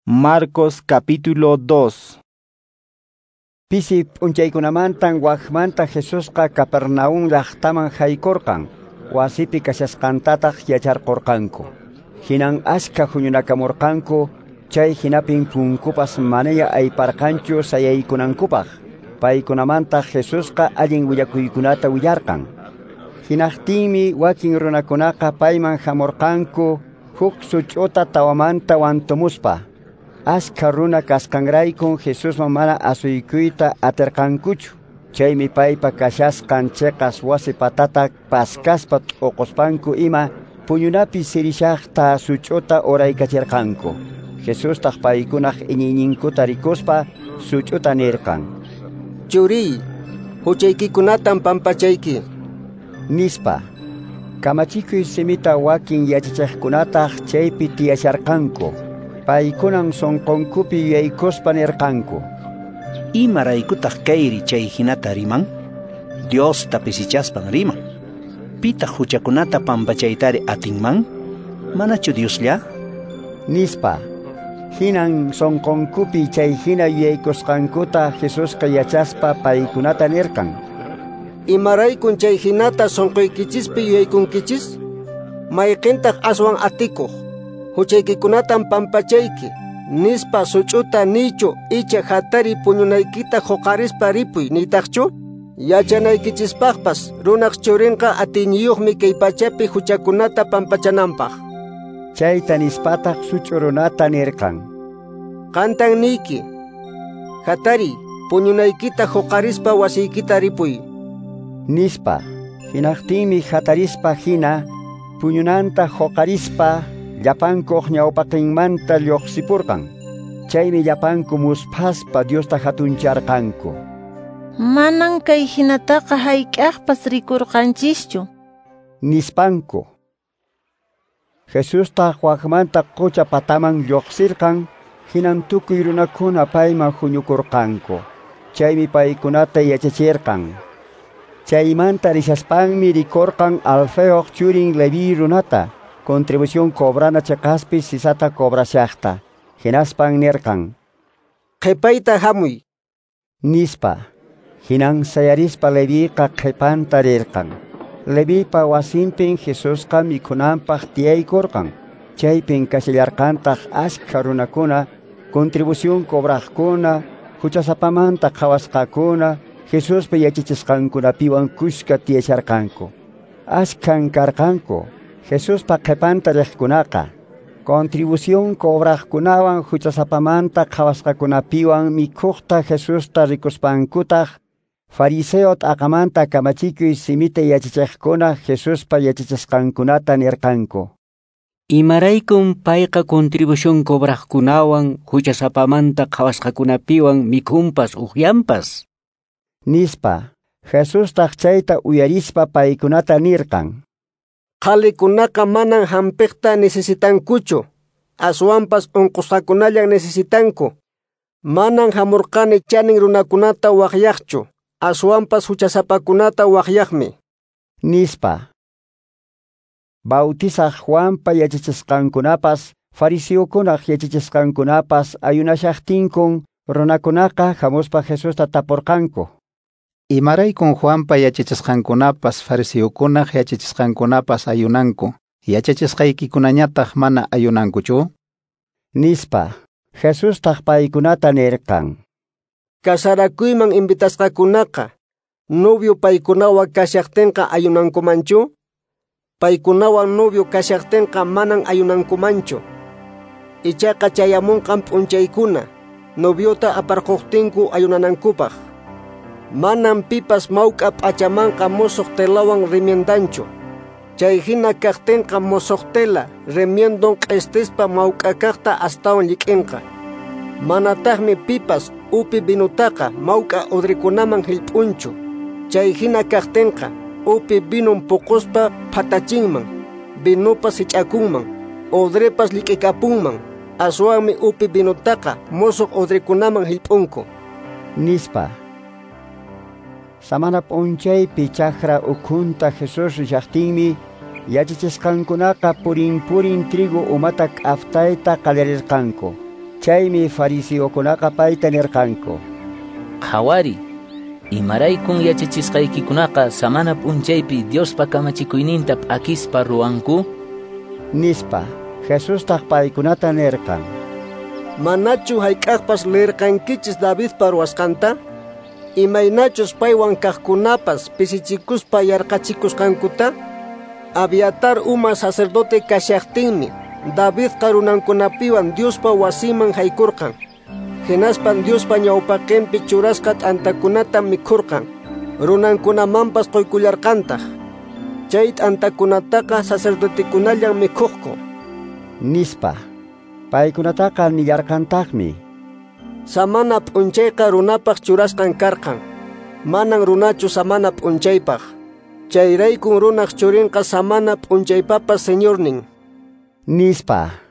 Marcos capítulo 2. Pisi p'unchaykunamantan wajmanta Jesusqa Capernaum llaqtaman haykurqan, wasipi kashasqantataq yacharqurqanku. Hinan ashka huñunakamurqanku, chay hinapin punkupas manaña ayparqanchu sayaykunankupaq. Paykunamantaq Jesusqa allin willakuykunata willarqan. Hinaqtinmi wakin runakunaqa payman hamurqanku huk such'uta tawamanta wantumuspa. Ashka runa kasqanraykun Jesusman mana asuykuyta atirqankuchu. Chaymi paypa kashasqan chiqas wasi patata paskaspa t'uquspanku ima puñunapi sirishaqta such'uta uraykachirqanku. Jesustaq paykunaq iñiyninkuta rikuspa such'uta nirqan: "Churiy, huchaykikunatan pampachayki", nispa. Kamachikuy simita wakin yachachiqkunataq chaypi tiyasharqanku. Paykunan sunqunkupi yuyaykuspa nirqanku: "Imaraykutaq kayri chay hinata riman? Diosta pisichaspan riman. Pitaq huchakunata pampachaytari atinman? Manachu Dioslla?" nispa. Hinan sunqunkupi chay hina yuyaykusqankuta Jesusqa yachaspa paykunata nirqan: "Imaraykun chay hinata sunquykichispi yuyaykunkichis? Mayqintaq aswan atikuq? Huchaykikunatan pampachayki, nispa such'uta niychu icha hatari puñunaykita huqarispa ripuy niytaqchu? Yachanaykichispaqpas runaq churinqa atiyniyuqmi kay pachapi huchakunata pampachananpaq." Chayta nispataq such'u runata nirqan: "Qantan niyki, hatari puñunaykita huqarispa wasiykita ripuy", nispa. Hinaqtinmi hatarispa hina puñunanta huqarispa llapankuq ñawpaqinmanta lluqsipurqan. Chaymi llapanku musphaspa Diosta hatuncharqanku. "Manan kay hinataqa hayk'aqpas rikurqanchischu", nispanku. Jesustaq waqmanta qucha pataman lluqsirqan, hinan tukuy runakuna payman huñukurqanku. Chaymi paykunata yachachirqan. Chaymanta rishaspanmi rikurqan Alfeoq churin Leví runata, contribución cobrana chiqaspi sisata cobrashaqta. Hinaspan nirqan: "Qhipayta hamuy", nispa. Hinan sayarispa Leviqa qhipanta rirqan. Levipa wasinpin Jesusqa mikhunanpaq tiyaykurqan. Chaypin kashallarqantaq ashkha runakuna, contribución cobraqkuna, huchasapamanta qhawasqakuna, Jesuspa yachachisqankunapiwan kushka tiyasharqanku. Ashkhan karqanku Jesuspa qhipanta riqkunaqa. Contribución cobraqkunawan huchasapamanta qhawasqakunapiwan mikhuqta Jesusta rikuspankutaq fariseo t'aqamanta kamachikuy simita yachachiqkuna Jesuspa yachachisqankunata nirqanku: "Imaraykun payqa contribución cobraqkunawan huchasapamanta qhawasqakunapiwan mikhunpas uqyanpas?" nispa. Jesustaq chayta uyarispa paykunata nirqan: "Qhalikunaqa manan hampiqta necesitankuchu, aswanpas unqusqakunallan necesitanku. Manan hamurqani chanin runakunata waqyaqchu, aswanpas huchasapakunata waqyaqmi", nispa. Bautizaq Juanpa yachachisqankunapas, fariseokunaq yachachisqankunapas ayunashaqtinkun runakunaqa hamuspa Jesusta tapurqanku: "Imaraykun Juanpa yachachisqankunapas fariseokunaq yachachisqankunapas ayunanku, yachachisqaykikunañataq mana ayunankuchu?" nispa. Jesustaq paykunata nirqan: "Kasarakuyman invitasqakunaqa novio paykunawan kashaqtinqa ayunankumanchu? Paykunawan novio kashaqtinqa manan ayunankumanchu. Ichaqa chayamunqan p'unchaykuna noviota aparquqtinku ayunanankupaq. Manan pipas mawk'a p'achamanqa musuq telawan remiendanchu. Chay hina kaqtinqa musuq tela remiendon q'istispa mawk'a kaqta astawan llik'inqa. Manataqmi pipas upi vinutaqa mawk'a udrikunaman hillp'unchu. Chay hina kaqtinqa upi vinun puquspa phatachinman, vinupas hich'akunman, udripas llik'ikapunman. Aswanmi upi vinutaqa musuq udrikunaman hillp'unku", nispa. Samana p'unchaypi chakra ukhunta Jesús rishaqtinmi yachachisqankunaqa purin purin trigo umata k'aftayta qallarirqanku. Chaymi fariseokunaqa payta nirqanku: Qhawari, imaraykun yachachisqaykikunaqa samana p'unchaypi Diospa kamachikuyninta p'akispa ruwanku? Nispa. Jesustaq paykunata nirqan: Manachu hayk'aqpas leerqankichis Davidpa ruwasqanta? Imaynachus paywan kaqkunapas pisichikuspa yarqachikusqankuta? Abiatar uma sacerdote kashaqtinmi Davidqa runankunapiwan Diospa wasinman haykurqan. Hinaspan Diospa ñawpaqinpi churasqa t'antakunata mikhurqan, runankunamanpas quykullarqantaq. Chay t'antakunataqa sacerdotekunallan mikhuqku. Nispa. Paykunataqa nillarqantaqmi: Samana p'unchayqa runapaq churasqan karqan, manan runachu samana p'unchaypaq. Chayraykun runaq churinqa samana p'unchaypapas señornin. Nispa.